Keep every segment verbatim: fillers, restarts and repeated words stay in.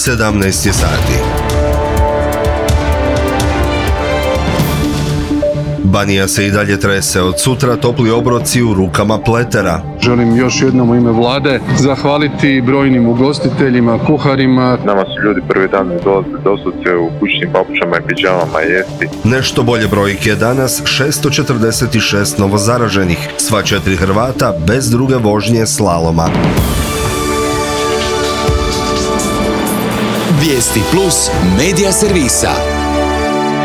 sedamnaest je sati. Banija se i dalje trese, od sutra topli obroci u rukama pletera. Želim još jednom u ime vlade zahvaliti brojnim ugostiteljima, kuharima. Nama su ljudi prvi dan dolazili doslovce u kućnim papučama i pidžamama jesti. Nešto bolje brojke danas, šesto četrdeset šest novozaraženih, sva četiri Hrvata bez druge vožnje slaloma. Vijesti plus medija servisa.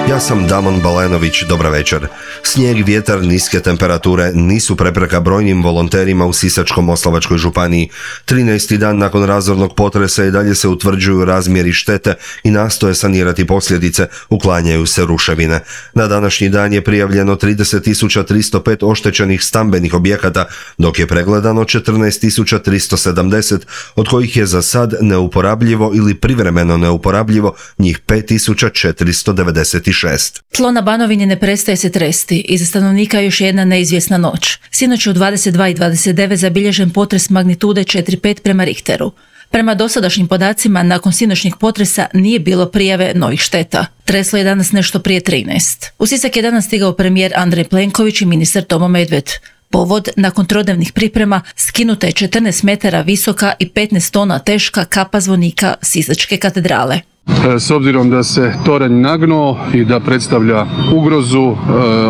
Ja sam Damon Balenović, dobra večer. Snijeg, vjetar, niske temperature nisu prepreka brojnim volonterima u Sisačko-moslavačkoj županiji. trinaesti dan nakon razornog potresa i dalje se utvrđuju razmjeri štete i nastoje sanirati posljedice, uklanjaju se ruševine. Na današnji dan je prijavljeno trideset tisuća tristo pet oštećenih stambenih objekata, dok je pregledano četrnaest tisuća tristo sedamdeset, od kojih je za sad neuporabljivo ili privremeno neuporabljivo njih pet tisuća četiristo devedeset šest. Tlo na Banovini ne prestaje se tresti i za stanovnika još jedna neizvjesna noć. Sinoć je u dvadeset dva i dvadeset devet zabilježen potres magnitude četiri zarez pet prema Richteru. Prema dosadašnjim podacima, nakon sinoćnjeg potresa nije bilo prijave novih šteta. Treslo je danas nešto prije trinaest. U Sisak je danas stigao premijer Andrej Plenković i ministar Tomo Medved. Povod, nakon trodnevnih priprema, skinuta je četrnaest metara visoka i petnaest tona teška kapa zvonika Sisačke katedrale. S obzirom da se toranj nagnuo i da predstavlja ugrozu,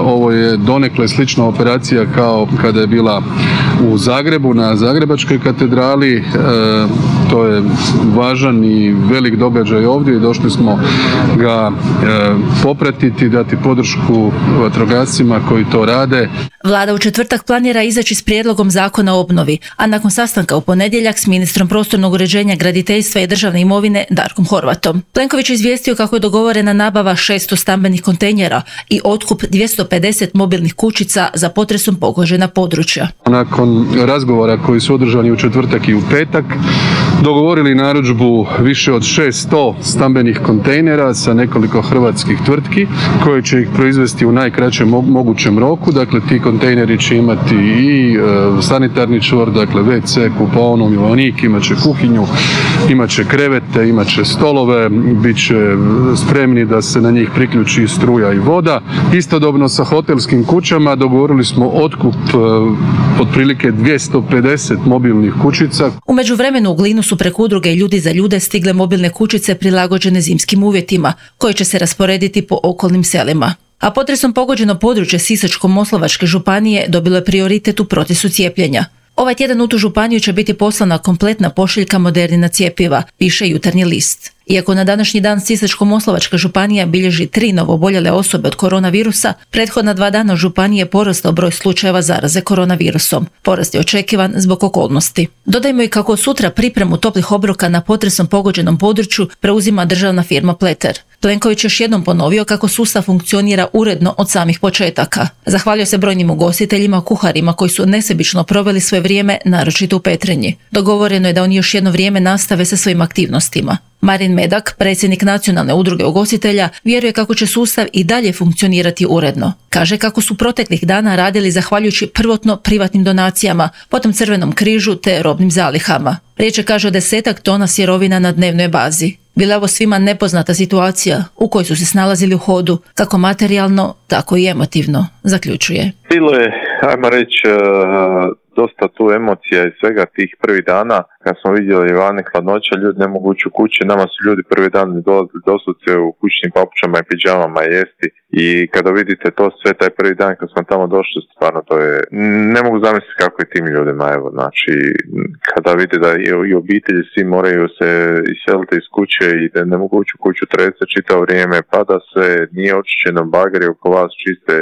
ovo je donekle slična operacija kao kada je bila u Zagrebu na Zagrebačkoj katedrali. To je važan i velik događaj ovdje i došli smo ga popratiti, dati podršku vatrogascima koji to rade. Vlada u četvrtak planira izaći s prijedlogom zakona o obnovi, a nakon sastanka u ponedjeljak s ministrom prostornog uređenja, graditeljstva i državne imovine Darkom Horvatom. Plenković je izvijestio kako je dogovorena nabava šesto stambenih kontejnera i otkup dvjesto pedeset mobilnih kućica za potresom pogođena područja. Nakon razgovora koji su održani u četvrtak i u petak, dogovorili narudžbu više od šesto stambenih kontejnera sa nekoliko hrvatskih tvrtki koje će ih proizvesti u najkraćem mogućem roku. Dakle, ti kontejneri će imati i e, sanitarni čvor, dakle ve ce, kupaonu, milanik, imat će kuhinju, imat će krevete, imat će stolove, bit će spremni da se na njih priključi struja i voda. Istodobno sa hotelskim kućama dogovorili smo otkup e, otprilike dvjesto pedeset mobilnih kućica. U međuvremenu u Glinu su preko udruge Ljudi za ljude stigle mobilne kućice prilagođene zimskim uvjetima, koje će se rasporediti po okolnim selima. A potresom pogođeno područje Sisačko-moslavačke županije dobilo je prioritet u procesu cijepljenja. Ovaj tjedan u tu županiju će biti poslana kompletna pošiljka Modernina cjepiva, piše Jutarnji list. Iako na današnji dan Sisačko-moslavačka županija bilježi tri novoboljele osobe od koronavirusa, prethodna dva dana u županiji je porastao broj slučajeva zaraze koronavirusom. Porast je očekivan zbog okolnosti. Dodajmo i kako sutra pripremu toplih obroka na potresom pogođenom području preuzima državna firma Pleter. Plenković još jednom ponovio kako sustav funkcionira uredno od samih početaka. Zahvalio se brojnim ugostiteljima, kuharima koji su nesebično proveli svoje vrijeme, naročito u Petrinji. Dogovoreno je da oni još jedno vrijeme nastave sa svojim aktivnostima. Marin Medak, predsjednik Nacionalne udruge ugostitelja, vjeruje kako će sustav i dalje funkcionirati uredno. Kaže kako su proteklih dana radili zahvaljujući prvotno privatnim donacijama, potom Crvenom križu te robnim zalihama. Riječ je, kaže, o desetak tona sirovina na dnevnoj bazi. Bila je ovo svima nepoznata situacija u kojoj su se snalazili u hodu, kako materijalno, tako i emotivno, zaključuje. Bilo je, ajmo reći, dosta tu emocija i svega tih prvih dana, kad smo vidjeli vani hladnoća, ljudi ne mogu ući u kuće, nama su ljudi prvi dan dolazili doslovce u kućnim papučama i pidžamama jesti i kada vidite to sve taj prvi dan kad smo tamo došli, stvarno to je, ne mogu zamisliti kako je tim ljudima, evo, znači, kada vide da i obitelji svi moraju se iseliti iz kuće i da ne mogu ući u kuću, trese čitavo vrijeme, pada se, nije očišćeno, bageri oko vas čiste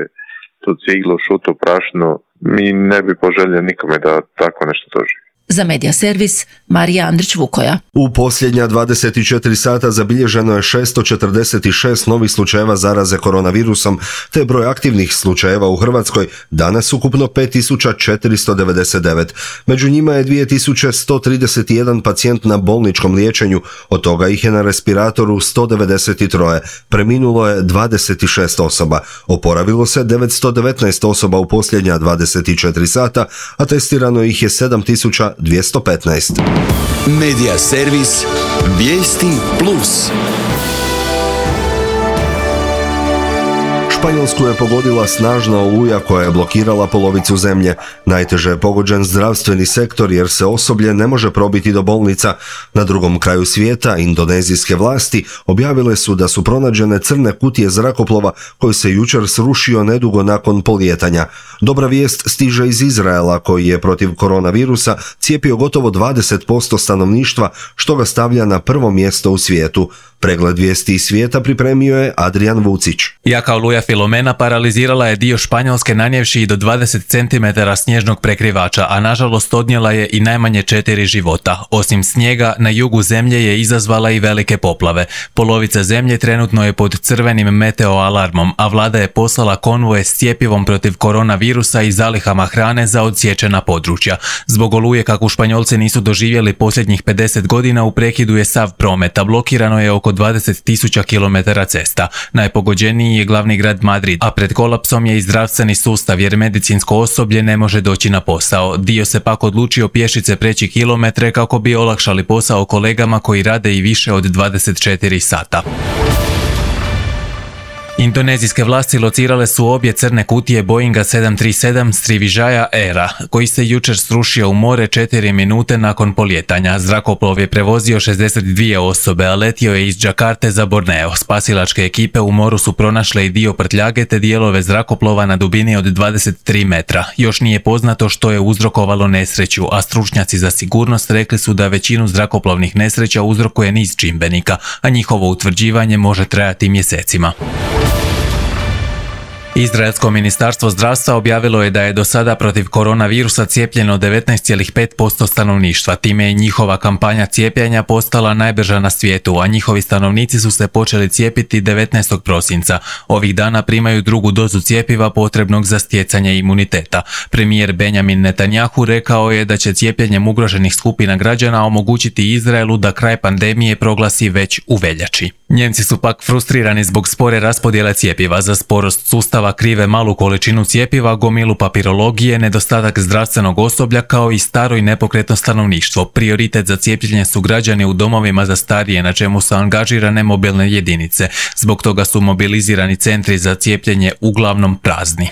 tu ciglu, šutu, prašnu, mi ne bi poželjeli nikome da tako nešto doživi. Za Medija servis, Marija Andrić-Vukoja. U posljednja dvadeset četiri sata zabilježeno je šesto četrdeset šest novih slučajeva zaraze koronavirusom, te broj aktivnih slučajeva u Hrvatskoj danas ukupno pet tisuća četiristo devedeset devet. Među njima je dvije tisuće sto trideset jedan pacijent na bolničkom liječenju, od toga ih je na respiratoru sto devedeset tri, preminulo je dvadeset šest osoba, oporavilo se devetsto devetnaest osoba u posljednja dvadeset četiri sata, a testirano ih je sedam tisuća dvjesto petnaest. Medija servis Vijesti plus. Španjolsku je pogodila snažna oluja koja je blokirala polovicu zemlje. Najteže je pogođen zdravstveni sektor jer se osoblje ne može probiti do bolnica. Na drugom kraju svijeta indonezijske vlasti objavile su da su pronađene crne kutije zrakoplova koji se jučer srušio nedugo nakon polijetanja. Dobra vijest stiže iz Izraela koji je protiv koronavirusa cijepio gotovo dvadeset posto stanovništva što ga stavlja na prvo mjesto u svijetu. Pregled vijesti iz svijeta pripremio je Adrian Vucić. Jaka oluja Filomena paralizirala je dio Španjolske nanijevši i do dvadeset centimetara snježnog prekrivača, a nažalost odnijela je i najmanje četiri života. Osim snijega, na jugu zemlje je izazvala i velike poplave. Polovica zemlje trenutno je pod crvenim meteoalarmom, a vlada je poslala konvoje s cjepivom protiv koronavirusa i zalihama hrane za odsječena područja. Zbog oluje, kako Španjolci nisu doživjeli posljednjih pedeset godina, u prekidu je sav promet, a blokirano je oko dvadeset tisuća kilometara cesta. Najpogođeniji je glavni grad Madrid, a pred kolapsom je i zdravstveni sustav jer medicinsko osoblje ne može doći na posao. Dio se pak odlučio pješice preći kilometre kako bi olakšali posao kolegama koji rade i više od dvadeset četiri sata. Indonezijske vlasti locirale su obje crne kutije Boeinga sedam tri sedam Sriwijaya Aira, koji se jučer srušio u more četiri minute nakon polijetanja. Zrakoplov je prevozio šezdeset dvije osobe, a letio je iz Đakarte za Borneo. Spasilačke ekipe u moru su pronašle i dio prtljage te dijelove zrakoplova na dubini od dvadeset tri metra. Još nije poznato što je uzrokovalo nesreću, a stručnjaci za sigurnost rekli su da većinu zrakoplovnih nesreća uzrokuje niz čimbenika, a njihovo utvrđivanje može trajati mjesecima. Izraelsko ministarstvo zdravstva objavilo je da je do sada protiv koronavirusa cijepljeno devetnaest zarez pet posto stanovništva. Time je njihova kampanja cijepljenja postala najbrža na svijetu, a njihovi stanovnici su se počeli cijepiti devetnaestog prosinca. Ovih dana primaju drugu dozu cjepiva potrebnog za stjecanje imuniteta. Premijer Benjamin Netanjahu rekao je da će cijepljenjem ugroženih skupina građana omogućiti Izraelu da kraj pandemije proglasi već u veljači. Njemci su pak frustrirani zbog spore raspodjele cjepiva. Za sporost sustava krive malu količinu cjepiva, gomilu papirologije, nedostatak zdravstvenog osoblja kao i staro i nepokretno stanovništvo. Prioritet za cijepljenje su građani u domovima za starije, na čemu su angažirane mobilne jedinice. Zbog toga su mobilizirani centri za cijepljenje uglavnom prazni.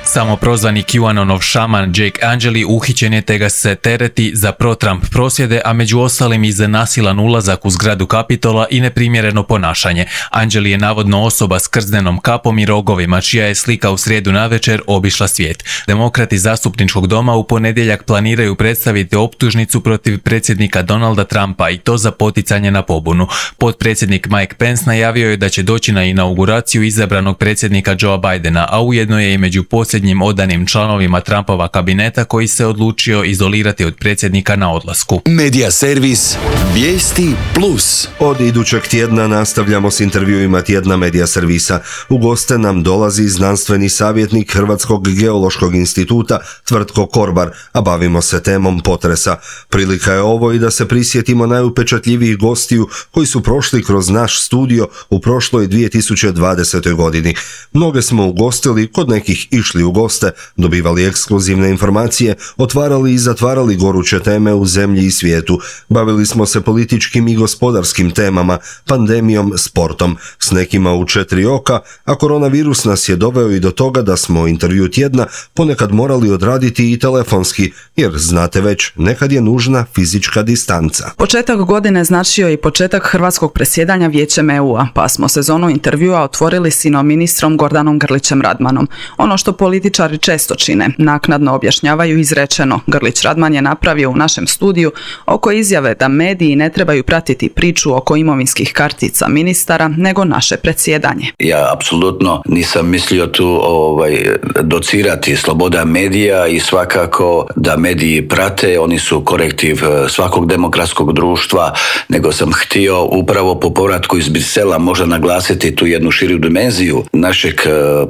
Samoprozvani QAnonov šaman Jake Angeli uhićen je te ga se tereti za pro-Trump prosvjede, a među ostalim i za nasilan ulazak u zgradu Kapitola i neprimjereno ponašanje. Angeli je navodno osoba s krznenom kapom i rogovima, čija je slika u srijedu navečer obišla svijet. Demokrati zastupničkog doma u ponedjeljak planiraju predstaviti optužnicu protiv predsjednika Donalda Trumpa i to za poticanje na pobunu. Potpredsjednik Mike Pence najavio je da će doći na inauguraciju izabranog predsjednika Joea Bidena, a ujedno je i među posljednjim odanim članovima Trumpova kabineta koji se odlučio izolirati od predsjednika na odlasku. Medija servis Vijesti plus. Od idućeg tjedna nastavljamo s intervjuima tjedna Medija servisa. U goste nam dolazi znanstveni savjetnik Hrvatskog geološkog instituta Tvrtko Korbar, a bavimo se temom potresa. Prilika je ovo i da se prisjetimo najupečatljivijih gostiju koji su prošli kroz naš studio u prošloj dvije tisuće dvadesetoj godini. Mnoge smo ugostili, kod nekih išli u goste, dobivali ekskluzivne informacije, otvarali i zatvarali goruće teme u zemlji i svijetu. Bavili smo se političkim i gospodarskim temama, pandemijom, sportom, s nekima u četiri oka, a koronavirus nas je doveo i do toga da smo intervju tjedna ponekad morali odraditi i telefonski, jer znate već, nekad je nužna fizička distanca. Početak godine značio i početak hrvatskog predsjedanja Vijećem E U-a, pa smo sezonu intervjua otvorili s ino ministrom Gordanom Grlićem Radmanom. Ono što političari često čine, naknadno objašnjavaju izrečeno. Grlić Radman je napravio u našem studiju oko izjave da mediji ne trebaju pratiti priču oko imovinskih kartica ministara, nego naše predsjedanje. Ja apsolutno nisam mislio tu ovaj, docirati sloboda medija i svakako da mediji prate, oni su korektiv svakog demokratskog društva, nego sam htio upravo po povratku iz Brisela možda naglasiti tu jednu širu dimenziju našeg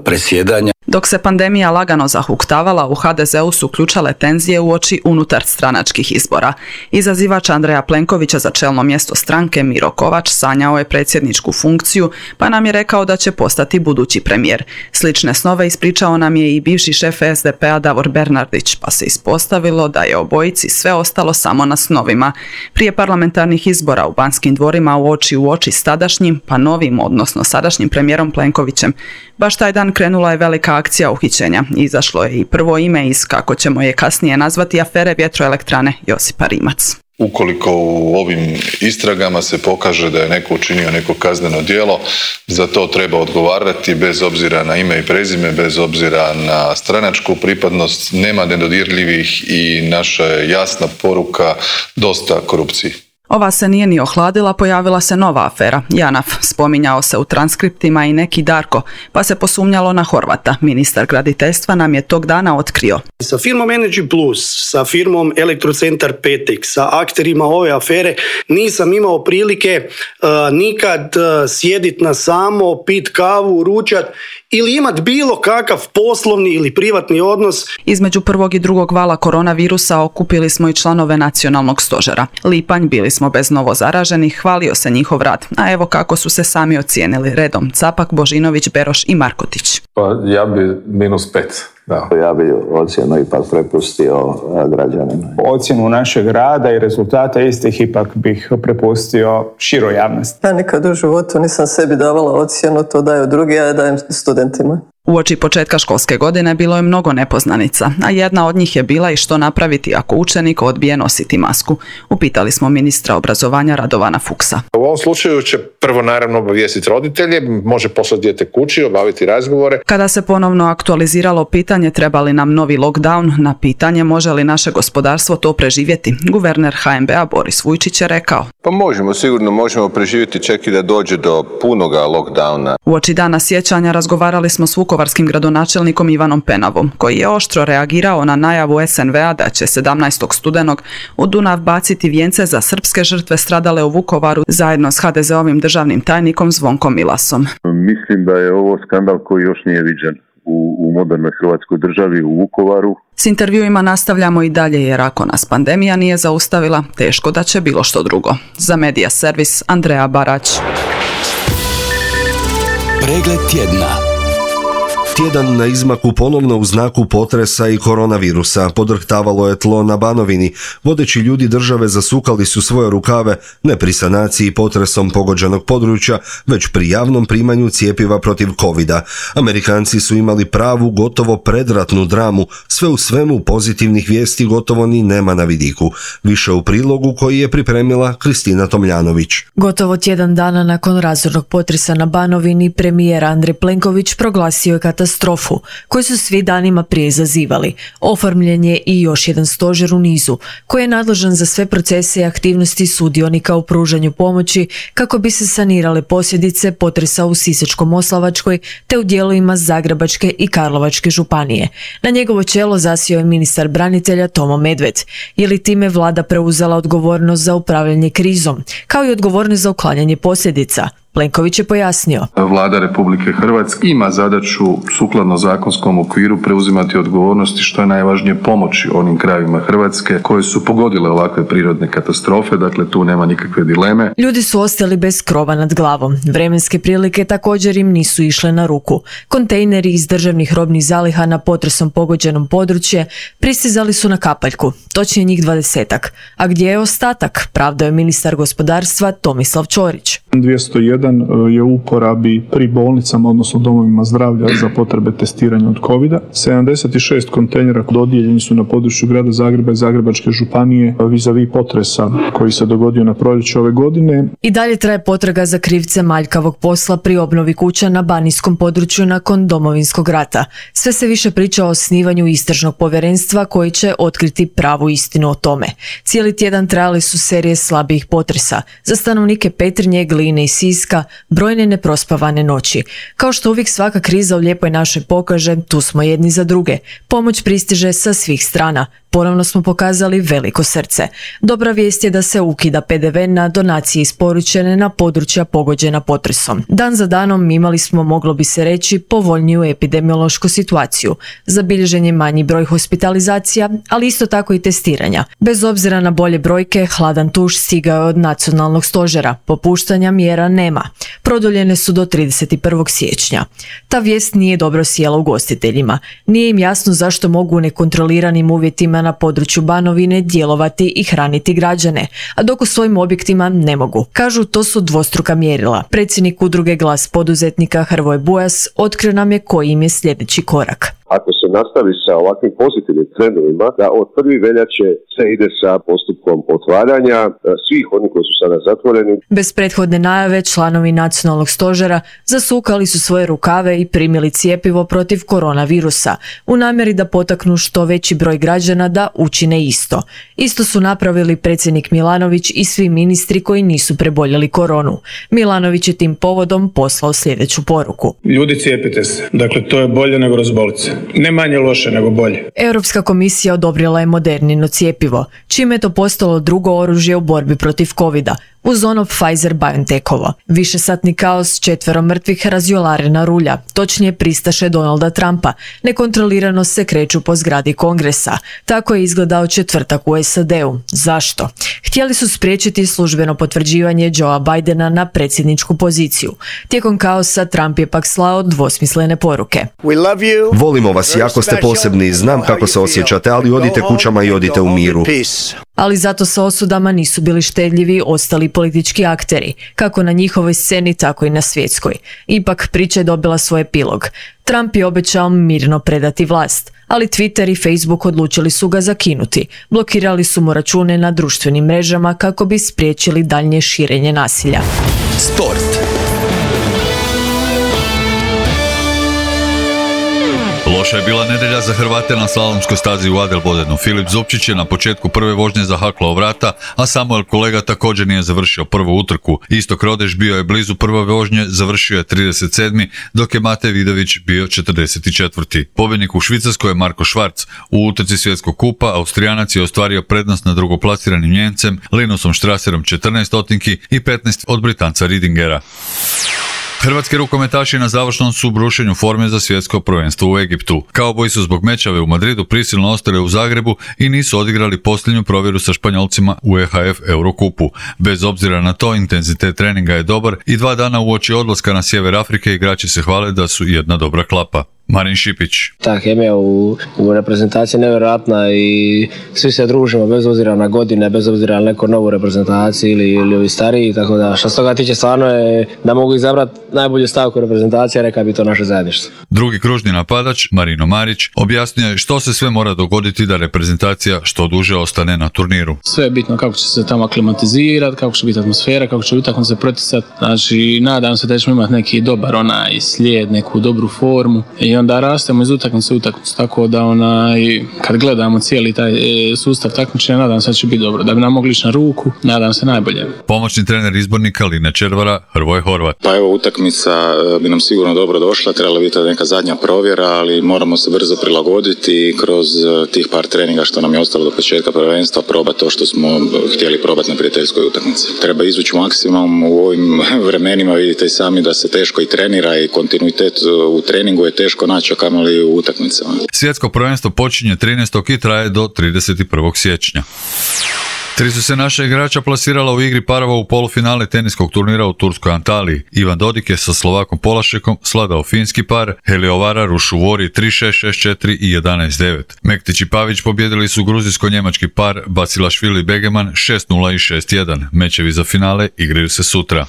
predsjedanja. Dok se pandemija pandemija lagano zahuktavala, u ha de zeu su ključale tenzije uoči unutar stranačkih izbora. Izazivač Andreja Plenkovića za čelno mjesto stranke Miro Kovač sanjao je predsjedničku funkciju, pa nam je rekao da će postati budući premijer. Slične snove ispričao nam je i bivši šef es de pe a Davor Bernardić, pa se ispostavilo da je obojici sve ostalo samo na snovima. Prije parlamentarnih izbora u Banskim dvorima u oči u oči s tadašnjim, pa novim, odnosno sadašnjim premijerom Plenkovićem. Baš taj dan krenula je velika akcija uhićenja. Izašlo je i prvo ime iz, kako ćemo je kasnije nazvati, afere vjetroelektrane Josipa Rimac. Ukoliko u ovim istragama se pokaže da je neko učinio neko kazneno djelo, za to treba odgovarati bez obzira na ime i prezime, bez obzira na stranačku pripadnost, nema nedodirljivih i naša je jasna poruka dosta korupciji. Ova se nije ni ohladila, pojavila se nova afera, JANAF. Spominjao se u transkriptima i neki Darko, pa se posumnjalo na Horvata. Ministar graditeljstva nam je tog dana otkrio. Sa firmom Energy Plus, sa firmom Elektrocentar Petek, sa akterima ove afere nisam imao prilike uh, nikad uh, sjediti na samo, pit kavu, ručat ili imat bilo kakav poslovni ili privatni odnos. Između prvog i drugog vala koronavirusa okupili smo i članove nacionalnog stožera. Lipanj, bili smo bez novo zaraženih, hvalio se njihov rad. A evo kako su se sami ocijenili redom: Capak, Božinović, Beroš i Markotić. Pa ja bi minus pet. Da. Ja bi ocjenu ipak prepustio građanima. Ocjenu našeg rada i rezultata istih ipak bih prepustio široj javnosti. Ja nikad u životu nisam sebi davala ocjenu, to daju drugi, ja je dajem studentima. Uoči početka školske godine bilo je mnogo nepoznanica, a jedna od njih je bila i što napraviti ako učenik odbije nositi masku. Upitali smo ministra obrazovanja Radovana Fuchsa. U ovom slučaju će prvo naravno obavijestiti roditelje, može poslati dijete kući, obaviti razgovore. Kada se ponovno aktualiziralo pitanje treba li nam novi lockdown, na pitanje može li naše gospodarstvo to preživjeti, guverner ha en be a Boris Vujčić je rekao: Pa možemo, sigurno možemo preživjeti čak i da dođe do punoga lockdowna. Uoči dana sjećanja razgovarali smo s vukovarskim gradonačelnikom Ivanom Penavom, koji je oštro reagirao na najavu es en ve a da će sedamnaestog studenog u Dunav baciti vijence za srpske žrtve stradale u Vukovaru zajedno s ha de zeovim državnim tajnikom Zvonkom Milasom. Mislim da je ovo skandal koji još nije viđen u, u modernoj hrvatskoj državi, u Vukovaru. S intervjuima nastavljamo i dalje jer ako nas pandemija nije zaustavila, teško da će bilo što drugo. Za Medija servis Andreja Barać. Pregled tjedna. Tjedan na izmaku ponovno u znaku potresa i koronavirusa. Podrhtavalo je tlo na Banovini. Vodeći ljudi države zasukali su svoje rukave ne pri sanaciji potresom pogođenog područja, već pri javnom primanju cjepiva protiv covida. Amerikanci su imali pravu, gotovo predratnu dramu. Sve u svemu pozitivnih vijesti gotovo ni nema na vidiku. Više u prilogu koji je pripremila Kristina Tomljanović. Gotovo tjedan dana nakon razornog potresa na Banovini, premijer Andrej Plenković proglasio je katastrofu koju su svi danima prije izazivali. Oformljen je i još jedan stožer u nizu koji je nadležan za sve procese i aktivnosti sudionika u pružanju pomoći kako bi se sanirale posljedice potresa u Sisačko-moslavačkoj te u dijelovima Zagrebačke i Karlovačke županije. Na njegovo čelo zasjeo je ministar branitelja Tomo Medved. Je li time vlada preuzela odgovornost za upravljanje krizom, kao i odgovornost za uklanjanje posljedica? Plenković je pojasnio. Vlada Republike Hrvatske ima zadaću sukladno zakonskom okviru preuzimati odgovornosti što je najvažnije pomoći onim krajevima Hrvatske koje su pogodile ovakve prirodne katastrofe, dakle tu nema nikakve dileme. Ljudi su ostali bez krova nad glavom. Vremenske prilike također im nisu išle na ruku. Kontejneri iz državnih robnih zaliha na potresom pogođenom područje pristizali su na kapaljku, točnije njih dvadesetak. A gdje je ostatak? Pravdao je ministar gospodarstva Tomislav Ćorić. dvjesto jedan je u uporabi pri bolnicama, odnosno domovima zdravlja za potrebe testiranja od covida. sedamdeset šest kontejnera dodijeljeni su na području grada Zagreba i Zagrebačke županije vis-a-vis potresa koji se dogodio na proljeće ove godine. I dalje traje potraga za krivce manjkavog posla pri obnovi kuća na banijskom području nakon Domovinskog rata. Sve se više priča o osnivanju istražnog povjerenstva koji će otkriti pravu istinu o tome. Cijeli tjedan trajali su serije slabijih potresa. Za stanovnike Petrinje, Glina Gline i Siska, brojne neprospavane noći. Kao što uvijek svaka kriza u lijepoj našoj pokaže, tu smo jedni za druge. Pomoć pristiže sa svih strana. Ponovno smo pokazali veliko srce. Dobra vijest je da se ukida pe de ve na donacije isporučene na područja pogođena potresom. Dan za danom imali smo, moglo bi se reći, povoljniju epidemiološku situaciju. Zabilježen je manji broj hospitalizacija, ali isto tako i testiranja. Bez obzira na bolje brojke, hladan tuš stigao je od nacionalnog stožera. Popuštanja mjera nema. Produljene su do trideset prvog siječnja. Ta vijest nije dobro sjela ugostiteljima. Nije im jasno zašto mogu u nekontroliranim uvjetima na području Banovine djelovati i hraniti građane, a dok u svojim objektima ne mogu. Kažu, to su dvostruka mjerila. Predsjednik udruge Glas poduzetnika Hrvoje Bujas otkrio nam je koji im je sljedeći korak. Ako se nastavi sa ovakvim pozitivnim trendovima, da od prve veljače se ide sa postupkom otvaranja svih onih koji su sada zatvoreni. Bez prethodne najave članovi nacionalnog stožera zasukali su svoje rukave i primili cjepivo protiv koronavirusa u namjeri da potaknu što veći broj građana da učine isto. Isto su napravili predsjednik Milanović i svi ministri koji nisu preboljeli koronu. Milanović je tim povodom poslao sljedeću poruku. Ljudi, cijepite se. Dakle, to je bolje nego razboliti se. Ne manje loše, nego bolje. Europska komisija odobrila je Modernino cjepivo, čime je to postalo drugo oružje u borbi protiv covida, uz ono Pfizer-BioNTechovo. Višesatni kaos, četvero mrtvih, razjolarena rulja, točnije pristaše Donalda Trumpa, nekontrolirano se kreću po zgradi Kongresa. Tako je izgledao četvrtak u es a de-u. Zašto? Htjeli su spriječiti službeno potvrđivanje Joea Bidena na predsjedničku poziciju. Tijekom kaosa Trump je pak slao dvosmislene poruke. Volimo vas, jako ste posebni, znam kako se osjećate, ali odite kućama i odite u miru. Ali zato sa osudama nisu bili štedljivi ostali politički akteri, kako na njihovoj sceni, tako i na svjetskoj. Ipak priča je dobila svoj epilog. Trump je obećao mirno predati vlast, ali Twitter i Facebook odlučili su ga zakinuti. Blokirali su mu račune na društvenim mrežama kako bi spriječili daljnje širenje nasilja. Sport. Loša je bila nedjelja za Hrvate na slalomskoj stazi u Adelbodenu. Filip Zupčić je na početku prve vožnje zahaklao vrata, a Samuel Kolega također nije završio prvu utrku. Istok Rodeš bio je blizu prve vožnje, završio je trideset sedmi, dok je Matej Vidović bio četrdeset četvrti. Pobjednik u Švicarskoj je Marko Švarc. U utrci svjetskog kupa Austrijanac je ostvario prednost nad drugoplasiranim Njemcem Linusom Strasserom četrnaest stotinki i petnaest od Britanca Ridingera. Hrvatski rukometaši na završnom su brušenju forme za svjetsko prvenstvo u Egiptu. Kauboji su zbog mečave u Madridu prisilno ostali u Zagrebu i nisu odigrali posljednju provjeru sa Španjolcima u e ha ef Eurokupu. Bez obzira na to, intenzitet treninga je dobar i dva dana uoči odlaska na sjever Afrike igrači se hvale da su jedna dobra klapa. Marin Šipić. Ta hemija u, u reprezentaciji je nevjerojatna i svi se družimo bez obzira na godine, bez obzira na neku novu reprezentaciju ili, ili ovi stariji, tako da što se toga tiče stvarno je da mogu izabrati najbolju stavku reprezentacije, reka bi to naše zajedništvo. Drugi kružni napadač, Marino Marić, objasnio je što se sve mora dogoditi da reprezentacija što duže ostane na turniru. Sve je bitno kako će se tamo aklimatizirati, kako će biti atmosfera, kako će utakmice proticati. Znači, nadam se da ćemo imati neki dobar onaj slijed, neku dobru formu i onda rastemo iz utakmice u utakmicu, tako da onaj, kad gledamo cijeli taj e, sustav takmičenja, nadam se da će biti dobro, da bi nam mogli ići na ruku, nadam se najbolje. Pomoćni trener izbornika Line Červara, Hrvoje Horvat. Pa evo, utakmica bi nam sigurno dobro došla, trebala biti neka zadnja provjera, ali moramo se brzo prilagoditi i kroz tih par treninga što nam je ostalo do početka prvenstva probati to što smo htjeli probati na prijateljskoj utakmici. Treba izvući maksimum u ovim vremenima, vidite i sami da se teško i trenira i kontinuitet u treningu je teško naći, kamoli u utakmicama. Svjetsko prvenstvo počinje trinaestog i traje do trideset prvog siječnja. Tri su se naša igrača plasirala u igri parova u polufinale teniskog turnira u turskoj Antaliji. Ivan Dodik je sa Slovakom Polašekom sladao finski par, Heliovara Rušuvori tri šest, šest četiri i jedanaest devet. Mektić i Pavić pobjedili su gruzijsko-njemački par Basilašvili Begeman šest nula i šest jedan. Mečevi za finale igraju se sutra.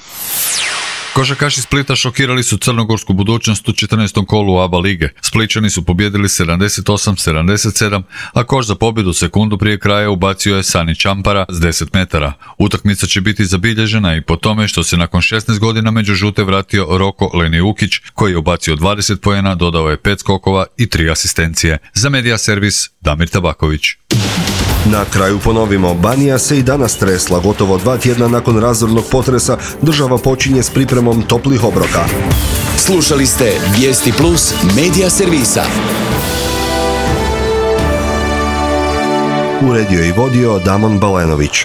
Košarkaši Splita šokirali su crnogorsku budućnost u četrnaestom kolu A B A lige. Spličani su pobjedili sedamdeset osam sedamdeset sedam, a koš za pobjedu sekundu prije kraja ubacio je Sani Čampara s deset metara. Utakmica će biti zabilježena i po tome što se nakon šesnaest godina među žute vratio Roko Lenijukić, koji je ubacio dvadeset poena, dodao je pet skokova i tri asistencije. Za Medija Servis, Damir Tabaković. Na kraju ponovimo, Banija se i danas tresla. Gotovo dva tjedna nakon razornog potresa država počinje s pripremom toplih obroka. Slušali ste Vijesti Plus medija servisa. Uredio i vodio Damon Balenović.